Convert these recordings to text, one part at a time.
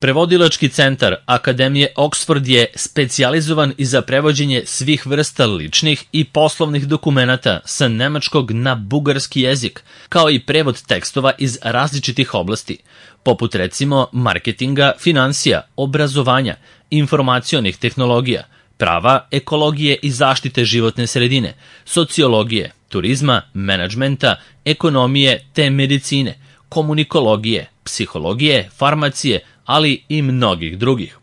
Prevodilački centar Akademije Oxford je specijalizovan i za prevođenje svih vrsta ličnih i poslovnih dokumenata sa nemačkog na bugarski jezik, kao i prevod tekstova iz različitih oblasti, poput recimo marketinga, finansija, obrazovanja, informacionih tehnologija, prava, ekologije i zaštite životne sredine, sociologije, turizma, menadžmenta, ekonomije te medicine, komunikologije, psihologije, farmacije, ali i mnogih drugih.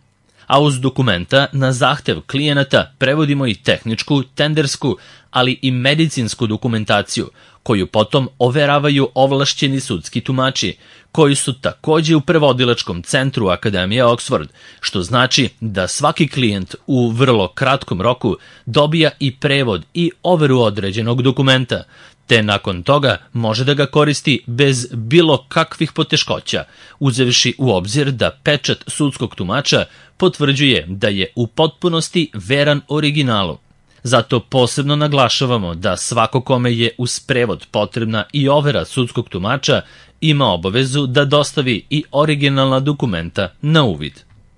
A uz dokumenta na zahtev klijenata prevodimo i tehničku, tendersku, ali i medicinsku dokumentaciju, koju potom overavaju ovlašćeni sudski tumači, koji su takođe u prevodilačkom centru Akademije Oxford, što znači da svaki klijent u vrlo kratkom roku dobija i prevod i overu određenog dokumenta, te nakon toga može da ga koristi bez bilo kakvih poteškoća, uzevši u obzir da pečat sudskog tumača potvrđuje da je u potpunosti veran originalu. Zato posebno naglašavamo da svako kome je uz prevod potrebna i overa sudskog tumača ima obavezu da dostavi i originalna dokumenta na uvid.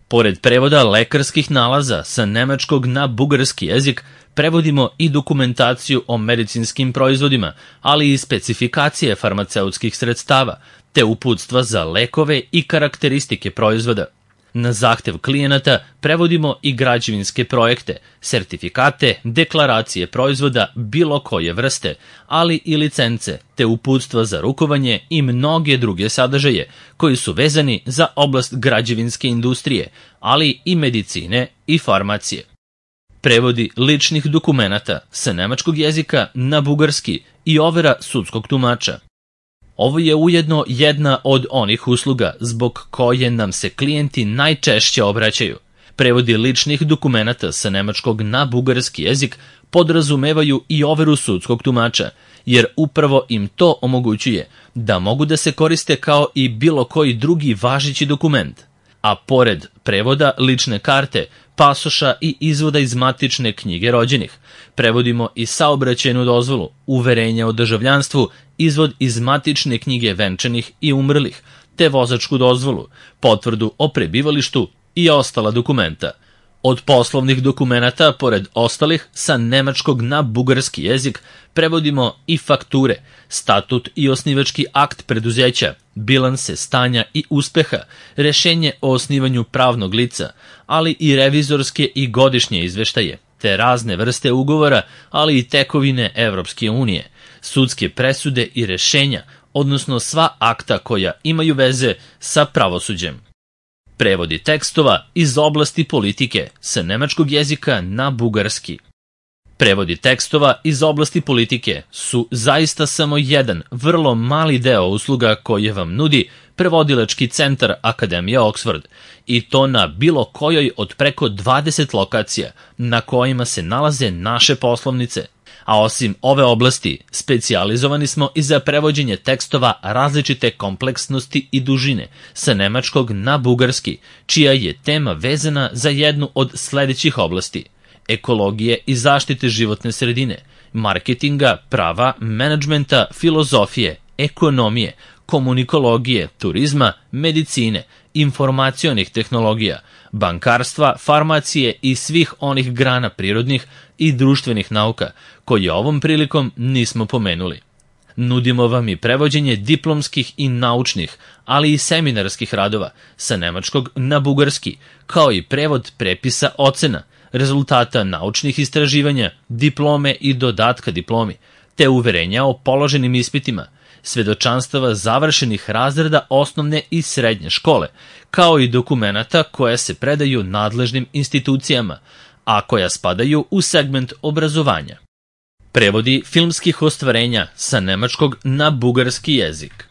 Pored prevoda lekarskih nalaza sa nemačkog na bugarski jezik, prevodimo i dokumentaciju o medicinskim proizvodima, ali i specifikacije farmaceutskih sredstava, te uputstva za lekove i karakteristike proizvoda. Na zahtev klijenata prevodimo i građevinske projekte, sertifikate, deklaracije proizvoda bilo koje vrste, ali i licence, te uputstva za rukovanje i mnoge druge sadržaje koji su vezani za oblast građevinske industrije, ali i medicine i farmacije. Prevodi ličnih dokumenata sa nemačkog jezika na bugarski i overa sudskog tumača. Ovo je ujedno jedna od onih usluga zbog koje nam se klijenti najčešće obraćaju. Prevodi ličnih dokumenata sa nemačkog na bugarski jezik podrazumevaju i overu sudskog tumača, jer upravo im to omogućuje da mogu da se koriste kao i bilo koji drugi važeći dokument. A pored prevoda lične karte, pasoša i izvoda iz matične knjige rođenih, prevodimo i saobraćajnu dozvolu, uverenje o državljanstvu, izvod iz matične knjige venčanih i umrlih, te vozačku dozvolu, potvrdu o prebivalištu i ostala dokumenta. Od poslovnih dokumenata, pored ostalih, sa nemačkog na bugarski jezik prevodimo i fakture, statut i osnivački akt preduzeća, bilanse stanja i uspeha, rešenje o osnivanju pravnog lica, ali i revizorske i godišnje izveštaje, te razne vrste ugovora, ali i tekovine Evropske unije, sudske presude i rešenja, odnosno sva akta koja imaju veze sa pravosuđem. Prevodi tekstova iz oblasti politike sa nemačkog jezika na bugarski. Prevodi tekstova iz oblasti politike su zaista samo jedan vrlo mali deo usluga koje vam nudi prevodilački centar Akademije Oxford, i to na bilo kojoj od preko 20 lokacija na kojima se nalaze naše poslovnice. A osim ove oblasti, specijalizovani smo i za prevođenje tekstova različite kompleksnosti i dužine sa nemačkog na bugarski, čija je tema vezana za jednu od sledećih oblasti: ekologije i zaštite životne sredine, marketinga, prava, menadžmenta, filozofije, ekonomije, komunikologije, turizma, medicine, informacionih tehnologija, bankarstva, farmacije i svih onih grana prirodnih i društvenih nauka, koje ovom prilikom nismo pomenuli. Nudimo vam i prevođenje diplomskih i naučnih, ali i seminarskih radova sa nemačkog na bugarski, kao i prevod prepisa ocena, rezultata naučnih istraživanja, diplome i dodatka diplomi, te uverenja o položenim ispitima, svedočanstava završenih razreda osnovne i srednje škole, kao i dokumenata koja se predaju nadležnim institucijama, a koja spadaju u segment obrazovanja. Prevodi filmskih ostvarenja sa nemačkog na bugarski jezik.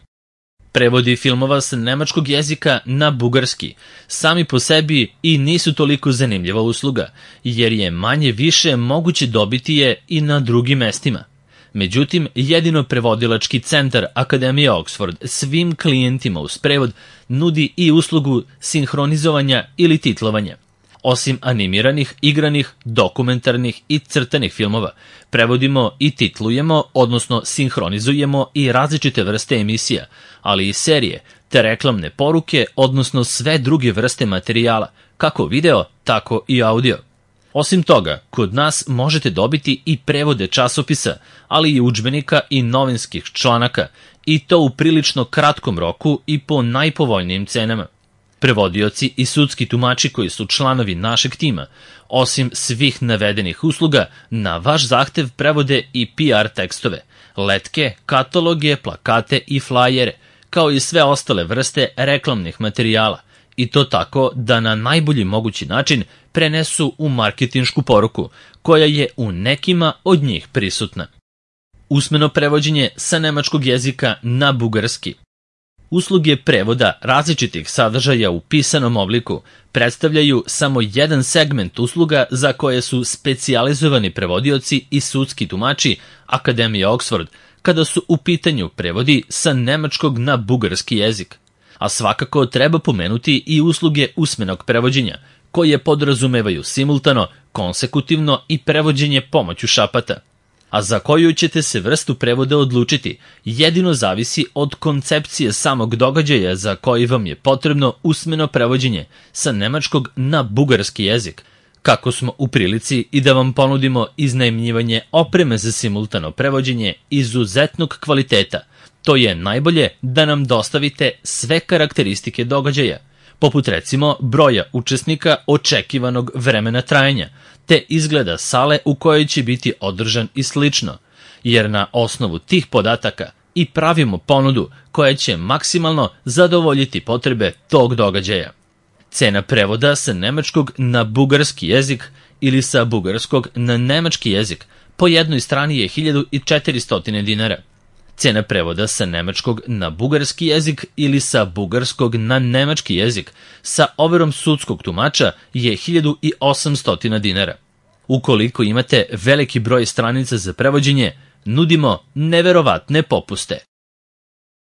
Prevodi filmova sa nemačkog jezika na bugarski sami po sebi i nisu toliko zanimljiva usluga, jer je manje više moguće dobiti je i na drugim mestima. Međutim, jedino prevodilački centar Akademije Oxford svim klijentima uz prevod nudi i uslugu sinhronizovanja ili titlovanja. Osim animiranih, igranih, dokumentarnih i crtanih filmova, prevodimo i titlujemo, odnosno sinhronizujemo i različite vrste emisija, ali i serije, te reklamne poruke, odnosno sve druge vrste materijala, kako video, tako i audio. Osim toga, kod nas možete dobiti i prevode časopisa, ali i udžbenika i novinskih članaka, i to u prilično kratkom roku i po najpovoljnijim cenama. Prevodioci i sudski tumači koji su članovi našeg tima, osim svih navedenih usluga, na vaš zahtev prevode i PR tekstove, letke, kataloge, plakate i flajere, kao i sve ostale vrste reklamnih materijala, i to tako da na najbolji mogući način prenesu u marketinšku poruku, koja je u nekima od njih prisutna. Usmeno prevođenje sa nemačkog jezika na bugarski. Usluge prevoda različitih sadržaja u pisanom obliku predstavljaju samo jedan segment usluga za koje su specijalizovani prevodioci i sudski tumači Akademije Oxford, kada su u pitanju prevodi sa nemačkog na bugarski jezik. A svakako treba pomenuti i usluge usmenog prevođenja, koje podrazumevaju simultano, konsekutivno i prevođenje pomoću šapata. A za koju ćete se vrstu prevoda odlučiti, jedino zavisi od koncepcije samog događaja za koji vam je potrebno usmeno prevođenje sa nemačkog na bugarski jezik, kako smo u prilici i da vam ponudimo iznajmljivanje opreme za simultano prevođenje izuzetnog kvaliteta. To je najbolje da nam dostavite sve karakteristike događaja, poput recimo broja učesnika, očekivanog vremena trajanja, te izgleda sale u kojoj će biti održan i slično, jer na osnovu tih podataka i pravimo ponudu koja će maksimalno zadovoljiti potrebe tog događaja. Cena prevoda sa nemačkog na bugarski jezik ili sa bugarskog na nemački jezik po jednoj strani je 1400 dinara. Cena prevoda sa nemačkog na bugarski jezik ili sa bugarskog na nemački jezik sa overom sudskog tumača je 1800 dinara. Ukoliko imate veliki broj stranica za prevođenje, nudimo neverovatne popuste.